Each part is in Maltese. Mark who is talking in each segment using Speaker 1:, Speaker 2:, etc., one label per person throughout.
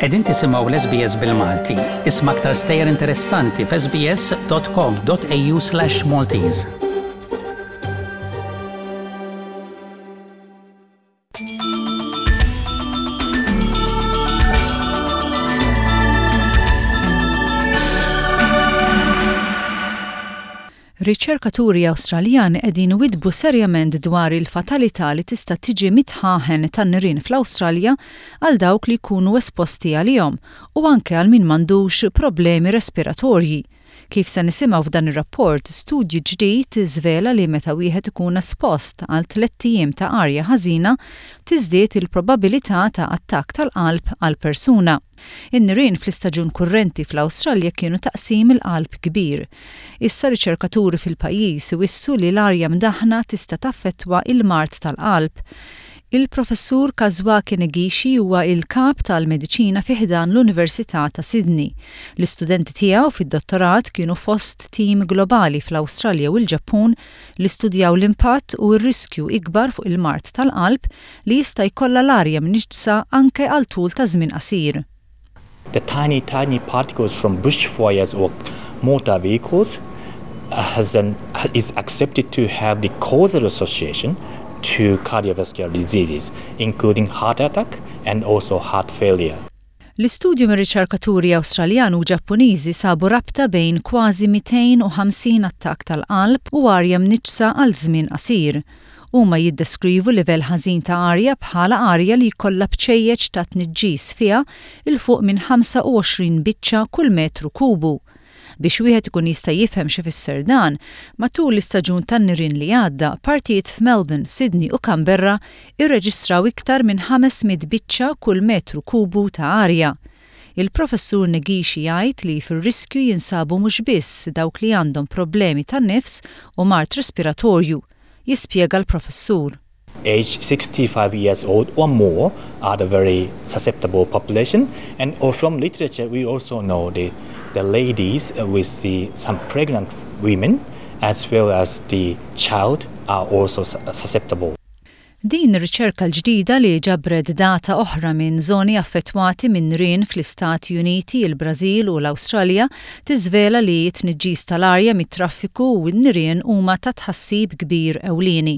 Speaker 1: Qegħdin tisimgħu l-SBS bil-Malti. Isma' aktar stejjer interessanti f'sbs.com.au/Maltese.
Speaker 2: Riċerkaturi Awstraljani qegħdin iwiddbu serjament dwar il-fatalità li tista' tiġi mid-dħaħen tan-nirien fl-Awstralja għal dawk li jkunu esposti għalihom u anke għal min m'għandux problemi respiratorji. Kif se nisimgħu f'dan ir-rapport, studju ġdid żvela li meta wieħed ikun espost għal tlett ijiem ta' arja ħażina, tiżdied il-probabilità ta' attakk tal-qalb għal persuna. In-nirien fl-istaġun kurrenti fl-Awstralja kienu ta' qsim il-qalb kbir. Issa riċerkaturi fil-pajjiż iwissu li l-arja mdaħħna tista' taffettwa il-mard tal-qalb. Il-Professur Kazuaki Negishi huwa il-Kap tal-Mediċina fi ħdan l-Università ta' Sydney. L-istudenti tiegħu fid-dottorat kienu fost tim globali fl-Awstralja u l-Ġappun li studjaw l-impatt u r-riskju ikbar fuq il-mard tal-qalb li jista' jkollha l-arja mniġġsa anke għal tul ta' żmien qasir.
Speaker 3: The tiny, tiny particles from bushfires or motor vehicles has an, is accepted to have the causal association to cardiovascular diseases, including heart attack and also heart failure.
Speaker 2: L-istudju mir-riċerkaturi Awstraljan u Ġappuniżi sabu rabta bejn kważi 250 attakk tal-qalb u arja mniġġsa għal żmien qasir. Huma jiddeskrivu livell ħażin ta' arja bħala arja li jkollha bċejjeċ ta' tniġġis fiha 'l fuq minn 25 biċċa kull metru kubu. Biex wieħed ikun jista' jifhem x'ifisser dan, matul l-istaġun tan-nirien li għadda, partijiet f'Melbourne, Sydney u Canberra rreġistraw iktar minn 500 biċċa kull metru kubu ta' arja. Il-Professur Negishi jgħid li fir-riskju jinsabu mhux biss dawk li għandhom problemi ta' nifs u mard respiratorju, jispjega l-Professur.
Speaker 3: Age 65 years old or more are the very susceptible population and or from literature we also know the the ladies with the some pregnant women as well as the child are also susceptible.
Speaker 2: Din ir-riċerka l-ġdida li ġabret data oħra minn żoni affettwati minn nirien fl-Istati Uniti, il-Brażil u l-Awstralja tiżvela li t-tniġġis tal-arja mit-traffiku u n-nirien huma ta' tħassib kbir ewlieni.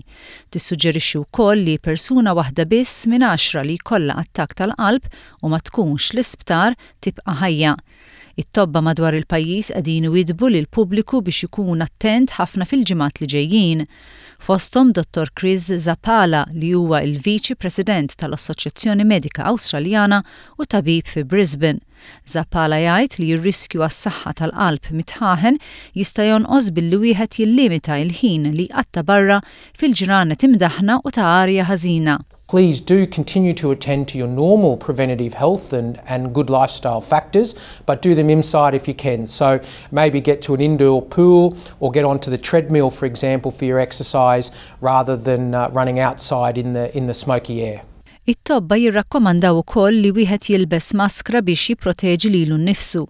Speaker 2: Tissuġġerixxi wkoll li persuna waħda biss minn għaxra li jkollha attakk tal-qalb u ma tkunx l-isptar tibqa' ħajja. It-tobba madwar il-pajjiż qegħdin iwiddbu lill-pubbliku biex ikun attent ħafna fil-ġimgħat li ġejjin. Fosthom Dottor Chris Zappala li huwa l-Viċi President tal-Assoċjazzjoni Medika Awstraljana u tabib fi Brisbane. Zappala jgħid li r-riskju għas-saħħa tal-qalb mit-dħaħen jista' jonqos billi wieħed jillimita l-ħin li jqatta' barra fil-ġranet imdaħħna u ta' arja ħażina.
Speaker 4: Please do continue to attend to your normal preventative health and, and good lifestyle factors, but do them inside if you can. So maybe get to an indoor pool or get onto the treadmill, for example, for your exercise rather than uh, running outside in the, in the smoky air.
Speaker 2: It-tobba jirrakkomandaw ukoll li wieħed jilbes maskra biex jipproteġi lilu nnifsu.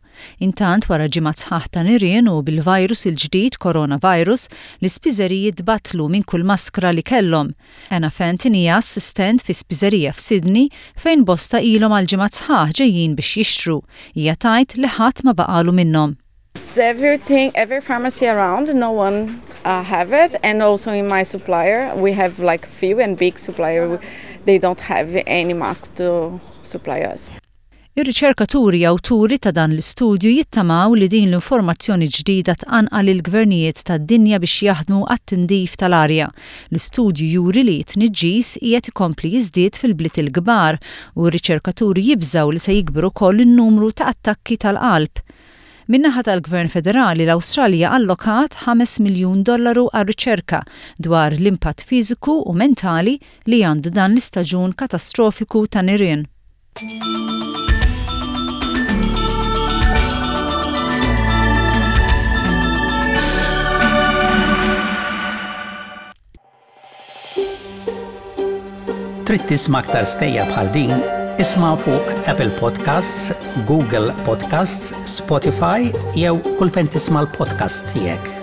Speaker 2: Intant wara ġimgħat sħaħ ta' nirien u bil-virus il-ġdid coronavirus, l-ispiżeriji tbattlu minn kull maskra li kellhom. Anna Fenton hija assistent fi spiżerija f'Sydney fejn bosta ilhom għal ġimgħat sħaħ ġejjin biex jixtru. Hija tgħid li ħadd ma baqagħlu minnhom.
Speaker 5: Everything, every pharmacy around, no one uh, have it, and also in my supplier, we have like few and big supplier, they don't have any mask to supply us.
Speaker 2: Ir-riċerkaturi awturi ta' dan l-istudju jittamaw li din l-informazzjoni ġdida tqanqal lill-gvernijiet tad-dinja biex jaħdmu għat-tindif tal-arja. L-istudju juri li t-tniġġis qiegħed ikompli jiżdied fil-bliet il-kbar u r-riċerkaturi jibżgħu li se jikber ukoll in-numru ta' attakki tal-qalb. Min-naħa tal-Gvern Federali, l-Awstralja allokat 5 miljun dollaru għar-riċerka dwar l-impatt fiżiku u mentali li għandu dan l-istaġun katastrofiku ta' nirien.
Speaker 1: Trid tisma' aktar stejjer bħal din? Isma' fuq Apple Podcasts, Google Podcasts, Spotify jew kull fejn tisma' l-podcasts tiegħek.